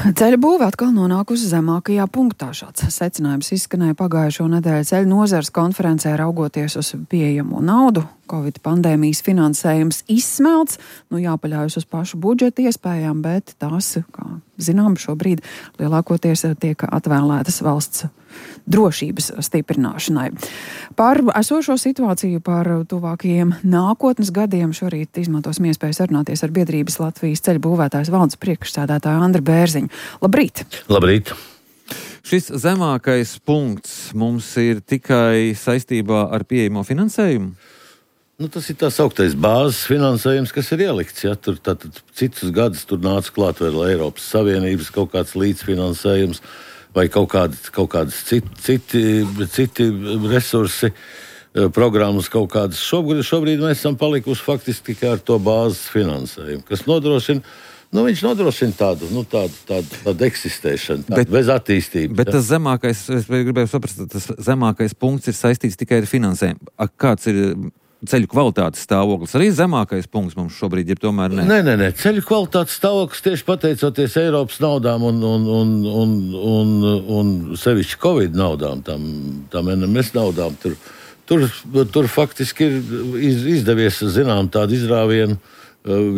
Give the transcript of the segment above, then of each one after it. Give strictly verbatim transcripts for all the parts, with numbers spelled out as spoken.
Ceļa būve atkal nonākusi zemākajā punktā. Šāds secinājums izskanēja pagājušo nedēļu ceļu nozares konferencē, raugoties uz pieejamo naudu. Covid pandēmijas finansējums izsmelts, nu jāpaļaujas uz pašu budžeta iespējām, bet tās, kā zinām, šobrīd lielākoties tiek atvēlētas valsts drošības stiprināšanai. Par esošo situāciju, par tuvākajiem nākotnes gadiem šorīt izmantosim iespēju sarunāties ar biedrības Latvijas ceļu būvētājs valdes priekšsēdētāju Andru Bērziņu. Labrīt! Labrīt! Šis zemākais punkts mums ir tikai saistībā ar pieejamo finansējumu? Nu, tas ir tā sauktais bāzes finansējums, kas ir ielikts. Ja? Tur tātad citus gadus tur nāca klāt vēl Eiropas Savienības kaut kāds līdzfinansējums vai kaut kādi, kaut kādas citi, citi, citi resursi, programmas kaut kādas. Šobrīd, šobrīd mēs esam palikuši faktiski tikai ar to bāzes finansējumu, kas nodrošina, nu viņš nodrošina tādu, nu tādu, tādu, tādu eksistēšanu, tādu bet, bez attīstības. Bet ja? Tas zemākais, es gribēju saprast, tas zemākais punkts ir saistīts tikai ar finansējumu. A, kāds ir ceļu kvalitātes stāvoklis? Arī zemākais punkts mums šobrīd ir tomēr ne? Nē, nē, nē. Ceļu kvalitātes stāvoklis tieši pateicoties Eiropas naudām un, un, un, un, un, un sevišķi Covid naudām, tam, tam N M S naudām, tur, tur, tur faktiski ir iz, izdevies, zinām, tādu izrāvienu,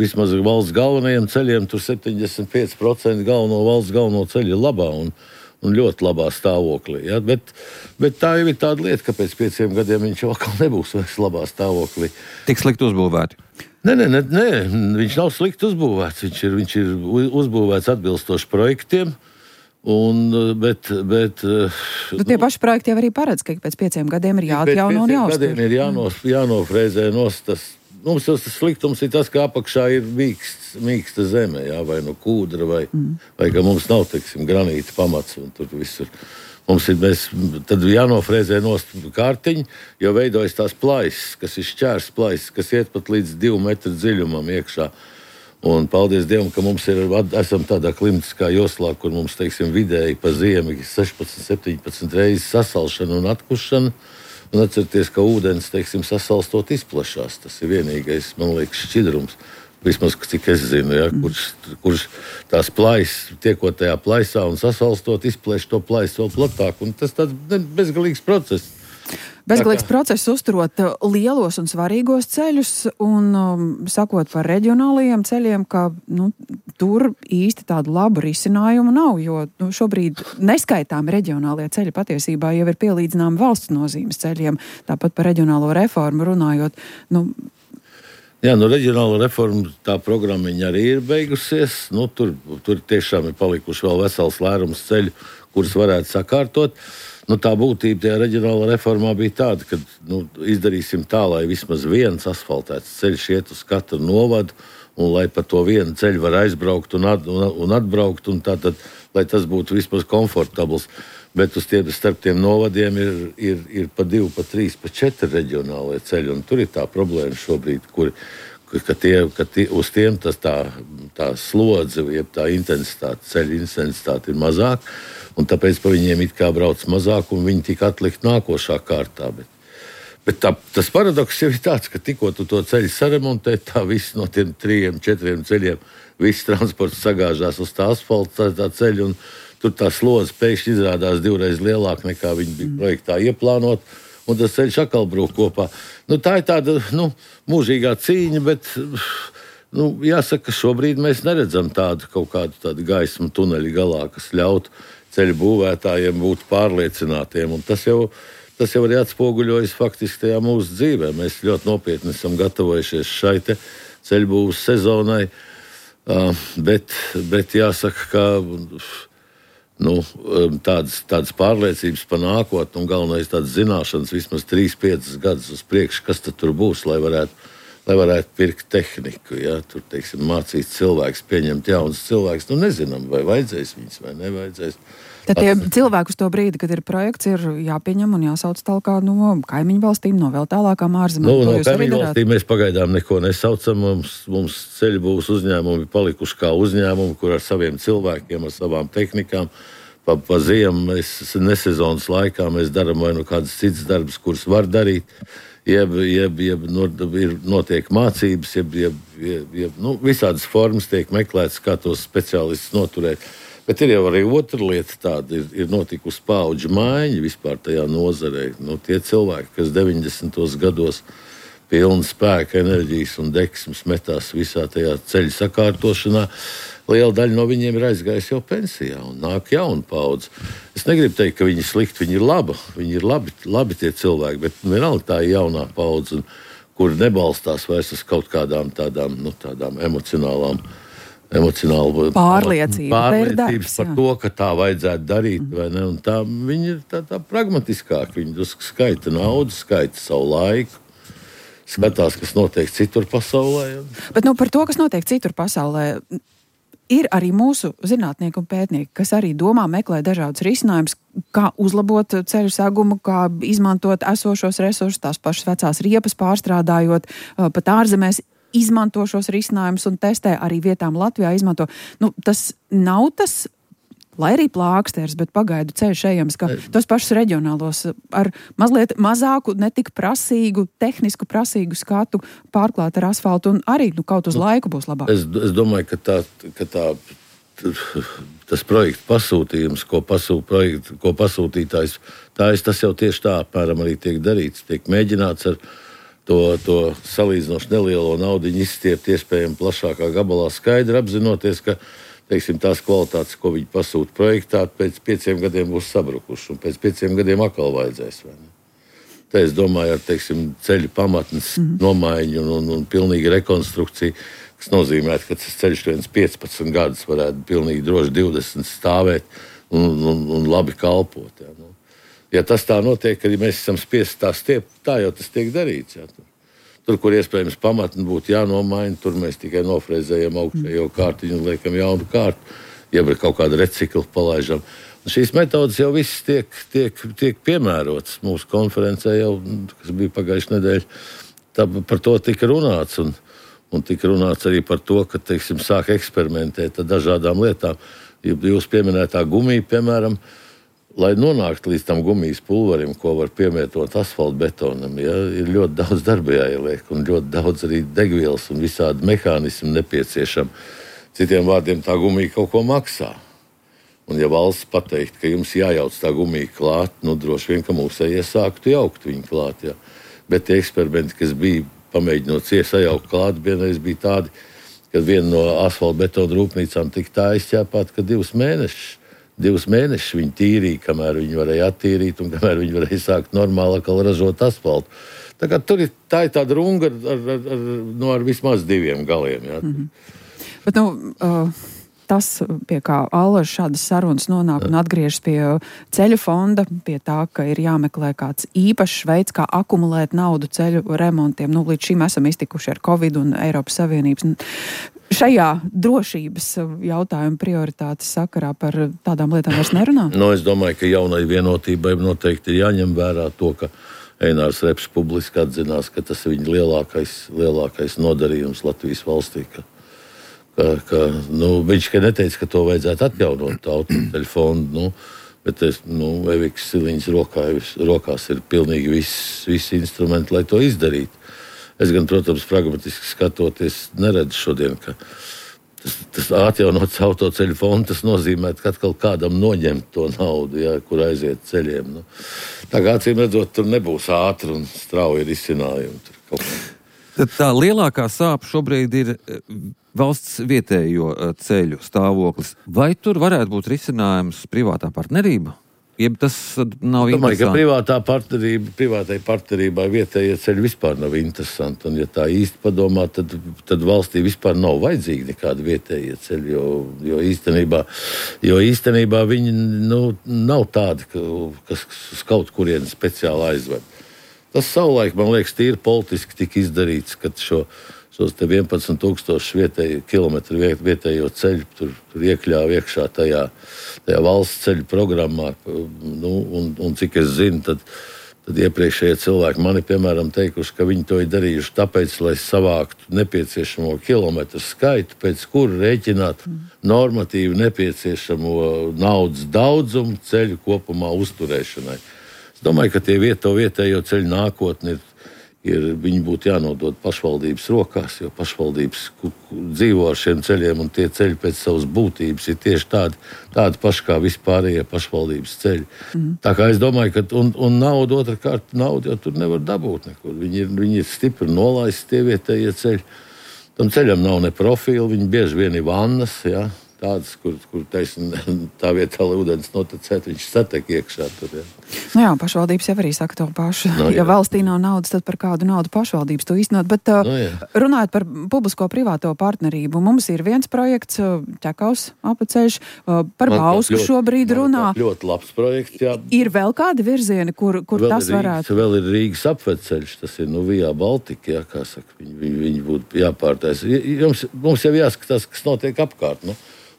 vismaz valsts galvenajiem ceļiem, tur septiņdesmit pieci procenti galveno valsts galveno ceļu ir labā un un ļoti labā stāvoklī. Ja? Bet, bet tā jau ir tāda lieta, ka pēc pieciem gadiem viņš jau atkal nebūs vairs labā stāvoklī. Tik slikti uzbūvēti? Nē, nē, nē, nē, viņš nav slikti uzbūvēts. Viņš ir, viņš ir uzbūvēts atbilstoši projektiem. Un, bet, bet, nu, tie paši projekti jau arī paredz, ka pēc pieciem gadiem ir jāatjauno un jāuztur. Pēc pieciem gadiem ir jānos, jānofrēzē nos tas. Mums tas sliktums ir tas, ka apakšā ir mīksts, mīksta zeme, jā, vai no kūdra, vai, mm. vai ka mums nav, teiksim, granīta pamats, un tur visur. Mums ir, mēs, tad jānofrēzē nost kārtiņi, jo veidojas tās plaisas, kas ir šķērs plaisas, kas iet pat līdz divu metru dziļumam iekšā. Un paldies Dievam, ka mums ir, esam tādā klimatiskā joslā, kur mums, teiksim, vidēji pa ziemi sešpadsmit septiņpadsmit reizes sasalšana un atkušana. Un atcerieties, ka ūdens, teiksim, sasalstot izplašās. Tas ir vienīgais, man liekas, šķidrums. Vismaz, cik es zinu, ja, kurš, kurš tās plaisas, tiekot tajā plaisā un sasalstot, izplēš to plaisu vēl platāk. Un tas tāds bezgalīgs process. Bezgalīgs process uzturot lielos un svarīgos ceļus un um, sakot par reģionālajiem ceļiem, ka nu, tur īsti tādu labu risinājumu nav, jo nu, šobrīd neskaitām reģionālie ceļi patiesībā jau ir pielīdzinām valsts nozīmes ceļiem. Tāpat par reģionālo reformu runājot. Nu, Jā, nu reģionāla reforma, tā programmiņa arī ir beigusies. Nu, tur, tur tiešām ir palikuši vēl vesels lērums ceļu, kurus varētu sakārtot. Nu, tā būtība tajā reģionāla reformā bija tāda, ka nu, izdarīsim tā, lai vismaz viens asfaltēts ceļš iet uz katru novadu, un lai pa to vienu ceļu var aizbraukt un, at, un, un atbraukt, un tātad, lai tas būtu vismaz komfortabls. Bet uz tiem, starp tiem novadiem ir, ir, ir pa divi, pa trīs, pa četri reģionālie ceļi, un tur ir tā problēma šobrīd, kur, ka, tie, ka tie, uz tiem tas tā, tā slodze, jeb tā intensitāte, ceļa intensitāte ir mazāk, un tāpēc pa viņiem it kā brauc mazāk, un viņi tika atlikt nākošā kārtā. Bet, bet tā, tas paradoks jau ir tāds, ka tikko tu to ceļu saremontē, tā viss no tiem trījiem, četriem ceļiem, viss transports sagāžās uz tā asfalta, tā, tā ceļa, un tur tā slodze pēkšņi izrādās divreiz lielāka, nekā viņi bija projektā ieplānot, un tas ceļš atkal brūk kopā. Nu, tā ir tāda nu, mūžīgā cīņa, bet nu, jāsaka, ka šobrīd mēs neredzam tādu kaut kādu tādu gaismu tuneļu galā, kas ļautu ceļu būvētājiem būt pārliecinātiem. Un tas jau, tas jau arī atspoguļojas faktiski tajā mūsu dzīvē. Mēs ļoti nopietni esam gatavojušies šai te ceļu būvas sezonai, uh, bet, bet jāsaka, ka nu, tādas, tādas pārliecības par nākotni un galvenais tādas zināšanas vismaz trīs piecus gadus uz priekšu, kas tad tur būs, lai varētu, lai varētu pirkt tehniku. Ja? Tur, teiksim, mācīt cilvēks, pieņemt jaunas cilvēks. Nu, nezinām, vai vajadzēs viņus, vai nevajadzēs. Tad tie cilvēki uz to brīdi, kad ir projekts, ir jāpieņem un jāsauc tālāk no kaimiņu valstīm, no vēl tālākām ārzemēm. Nu, no kaimiņu valstīm mēs pagaidām neko nesaucam. Mums, mums ceļu būvs uzņēmumi palikuši kā uzņēmumi, kur ar saviem cilvēkiem, ar savām tehnikām. Pa, pa ziemu, mēs nesezonas laikā mēs darām vai nu kādas citas darbas, kuras var darīt. Jeb, jeb, jeb ir notiek mācības, jeb, jeb, jeb, jeb nu, visādas formas tiek meklētas, kā tos speciālistus noturēt. Bet ir jau arī otra lieta tāda, ir, ir notikusi paudžu maiņa vispār tajā nozarē. Nu, tie cilvēki, kas deviņdesmitos gados pilni spēka, enerģijas un deksmes metās visā tajā ceļu sakārtošanā, liela daļa no viņiem ir aizgājusi jau pensijā un nāk jauna paudze. Es negribu teikt, ka viņi ir slikti, viņi ir labi, viņi ir labi, labi tie cilvēki, bet vienalga tā ir jaunā paudze, kur nebalstās vairs uz kaut kādām tādām, nu, tādām emocionālām emocionāli pārliecība, pārliecības par to, ka tā vajadzētu darīt, mm. vai ne? Un tā, viņi ir tā, tā pragmatiskāki, viņi skaita naudu, skaita savu laiku, skatās, kas notiek citur pasaulē. Un... Bet nu, par to, kas notiek citur pasaulē, ir arī mūsu zinātnieki un pētnieki, kas arī domā, meklē dažādus risinājumus, kā uzlabot ceļu segumu, kā izmantot esošos resursus, tās pašas vecās riepas pārstrādājot, pat ārzemēs izmanto šos risinājumus un testē arī vietām Latvijā izmanto. Nu, tas nav tas, lai arī plāksters, bet pagaidu ceļš ejams, ka tos pašus reģionālos ar mazliet mazāku, netik prasīgu, tehnisku prasīgu skatu pārklāt ar asfaltu un arī nu, kaut uz laiku būs labāk. Es, es domāju, ka, tā, ka tā, tas projekta pasūtījums, ko, pasū, projektu, ko pasūtītājs, tā es, tas jau tieši tā apmēram arī tiek darīts. Tiek mēģināts ar To, to salīdzinoši nelielo naudu izstiept iespējami plašākā gabalā, skaidri apzinoties, ka teiksim, tās kvalitātes, ko viņi pasūta projektā, pēc pieciem gadiem būs sabrukuši, un pēc pieciem gadiem atkal vajadzēs. Te es domāju, ar teiksim, ceļu pamatnes mm-hmm. nomaiņu un, un, un pilnīgu rekonstrukciju, kas nozīmē, ka tas ceļš viens piecpadsmit gadus varētu pilnīgi droši divdesmit stāvēt un, un, un labi kalpot. Jā, nu. Ja tas tā notiek, kad ja mēs esam spiesti tā stiept, tā jau tas tiek darīts. Jā. Tur, tur, kur iespējams pamatni būtu jānomaina, tur mēs tikai nofrēzējam augšējo kārtiņu un liekam jaunu kārtu, ja ir kaut kāda recikla palaižam. Un šīs metodas jau visas tiek, tiek, tiek piemērotas mūsu konferencē, jau, kas bija pagājušajā nedēļā. Tā, par to tika runāts, un, un tika runāts arī par to, ka teiksim, sāk eksperimentēt ar dažādām lietām. Jūs pieminētā gumija, piemēram, lai nonāktu līdz tam gumijas pulverim, ko var piemētot asfaltbetonam, ja, ir ļoti daudz darba jāieliek un ļoti daudz arī degvielas un visādi mehānismi nepieciešami. Citiem vārdiem tā gumija kaut ko maksā. Un ja valsts pateikt, ka jums jājauc tā gumija klāt, nu droši vien, ka mūsējie sāktu jaukt viņu klāt. Ja. Bet tie eksperimenti, kas bija pamēģinot sajaukt klāt, vienreiz bija tādi, kad viena no asfaltbetona rūpnīcām tika tā izķēpāta, ka divus mēnešus Divus mēnešus viņi tīrīja, kamēr viņi varēja attīrīt un kamēr viņi varēja sākt normāli ražot asfaltu. Tā, kā, tur ir, tā ir tāda runga ar, ar, ar, ar, no ar vismaz diviem galiem. Jā. Mm-hmm. Bet, nu, uh, tas, pie kā Allaž šādas sarunas nonāk un atgriežas pie ceļu fonda, pie tā, ka ir jāmeklē kāds īpašs veids, kā akumulēt naudu ceļu remontiem. Nu, līdz šim esam iztikuši ar Covid un Eiropas Savienības. Šajā drošības jautājuma prioritātes sakarā par tādām lietām vairs nerunā? No, es domāju, ka jaunai vienotībai noteikti ir jāņem vērā to, ka Einārs Reps publiski atzinās, ka tas ir viņa lielākais, lielākais nodarījums Latvijas valstī. Ka, ka, ka, nu, viņš ka neteica, ka to vajadzētu atjaunot autoceļu fondu, nu, bet es, nu, Evikas Siliņas rokā, rokās ir pilnīgi viss, viss instrumenti, lai to izdarītu. Es gan, protams, pragmatiski skatoties, neredzu šodien, ka tas, tas atjaunots autoceļu fonds, tas nozīmē, ka atkal kādam noņemt to naudu, ja, kur aiziet ceļiem. Nu, tā kā acīm redzot, tur nebūs ātri un strauji risinājumi. Tur kaut kā. Tad tā lielākā sāpe šobrīd ir valsts vietējo ceļu stāvoklis. Vai tur varētu būt risinājums privātā partnerība? Jeb tas nav interesanti. Domāju, ka privātā partnerība, privātai partnerībai vietējie ceļi vispār nav interesanti. Un, ja tā īsti padomā, tad, tad valstī vispār nav vajadzīgi nekādi vietējie ceļi, jo, jo, īstenībā, jo īstenībā viņi nu, nav tādi, ka, kas uz kaut kurieni speciāli aizved. Tas savulaik, man liekas, tīri politiski tika izdarīts, kad šo šos te vienpadsmit tūkstoši vietēju, kilometru vietējo ceļu tur, tur iekļāva iekšā tajā, tajā valsts ceļu programmā. Nu, un, un cik es zinu, tad, tad iepriekšējie cilvēki mani, piemēram, teikuši, ka viņi to ir darījuši tāpēc, lai savāktu nepieciešamo kilometru skaitu, pēc kura rēķināt normatīvi nepieciešamo naudas daudzumu ceļu kopumā uzturēšanai. Es domāju, ka tie vieto vietējo ceļu nākotni ir ir, viņi būtu jānodod pašvaldības rokās, jo pašvaldības dzīvo ar šiem ceļiem, un tie ceļi pēc savas būtības ir tieši tādi, tādi paši kā vispārējie pašvaldības ceļi. Mm. Tā kā es domāju, ka un, un naudu otrkārt, naudu jau tur nevar dabūt nekur. Viņi ir, viņi ir stipri nolaisti tie vietējie ceļi. Tam ceļam nav ne profila, viņi bieži vien ir vannas, ja? Tādas, kur, kur taisn, tā vietā, lai ūdens notecēt, viņš satek iekšā tur. Ja. Nu jā, pašvaldības jau arī saka to pašu. No, ja valstī nav naudas, tad par kādu naudu pašvaldības to īstenot. Bet uh, no, runājot par publisko-privāto partnerību, mums ir viens projekts, Ķekaus apceļš, uh, par Bausku šobrīd runā. Ļoti labs projekts, jā. Ir vēl kādi virzieni, kur, kur vēl tas Rīgas, varētu? Vēl ir Rīgas apceļš, tas ir nu Via Baltica, jā, kā saka, viņi, viņi, viņi būtu jāpārtais. Jums, mums jau jāskatās, kas notiek apkārt, nu.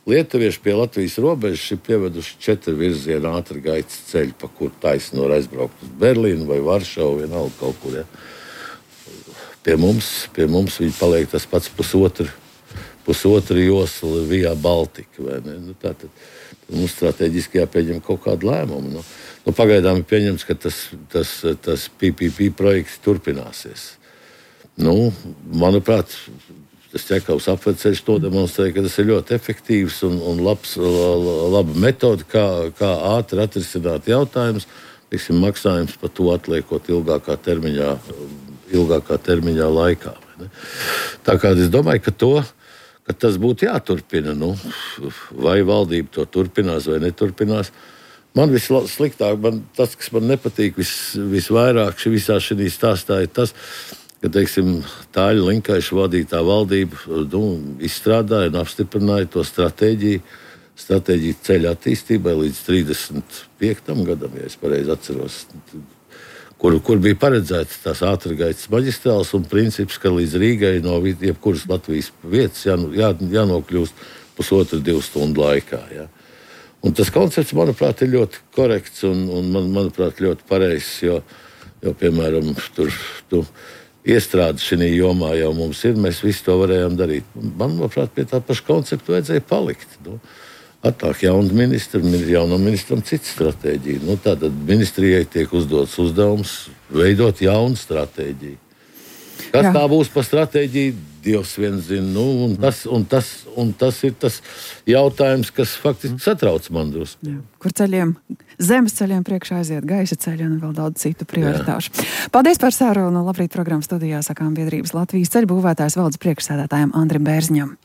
Lietuvieši pie Latvijas robežas ir pieveduši četru virzienu ātri gaitas ceļu, pa kur taisni var aizbraukt uz Berlīnu vai Varšavu, vienalga kaut kur. Ja. Pie mums, pie mums viņi paliek tas pats pusotru, pusotru joslu Via Baltica. Vai ne? Nu, tā tad mums strateģiski jāpieņem kaut kādu lēmumu. Nu, nu, pagaidām ir pieņemts, ka tas, tas, tas P P P projekts turpināsies. Nu, manuprāt, tas Ķekaus apceļš to demonstrē, ka tas ir ļoti efektīvs un, un labs, laba metode, kā, kā ātri atrisināt jautājumus, tiksim, maksājums par to atliekot ilgākā termiņā, ilgākā termiņā laikā. Vai ne? Tā kā es domāju, ka, to, ka tas būtu jāturpina. Nu, vai valdība to turpinās vai neturpinās. Man vissliktāk, man, tas, kas man nepatīk vis, visvairāk visā šī stāstā, ir tas, ka, teiksim, Tāļa Linkaiša vadītā valdība nu, izstrādāja un apstiprināja to stratēģiju, stratēģiju ceļa attīstībai līdz trīsdesmit piektam gadam, ja es pareizi atceros, kur, kur bija paredzēts tās ātrgaitas maģistrāls un princips, ka līdz Rīgai no jebkuras Latvijas vietas jā, jā, jānokļūst pusotru divu stundu laikā. Ja. Un tas koncepts, manuprāt, ir ļoti korekts un, un man, manuprāt, ļoti pareizs, jo, jo piemēram, tur... Tu, Iestrādes šajā jomā jau mums ir, mēs visi to varējām darīt. Manuprāt, pie tā paša koncepta vajadzēja palikt. Nu, atnāk jauna ministra, jaunam ministram cita stratēģija. Nu, tātad ministrijai tiek uzdots uzdevums veidot jaunu stratēģiju. Kas Jā. Tā būs par stratēģiju, Dievs viens zina. Nu, un, tas, un, tas, un tas ir tas jautājums, kas faktiski satrauc man drusku. Kur ceļiem, zemes ceļiem priekšā aiziet gaisa ceļi un vēl daudz citu prioritāšu. Jā. Paldies par sarunu. Labrīt programmas studijā sakām biedrības Latvijas ceļu būvētājs valdes priekšsēdētājiem Andrim Bērziņam.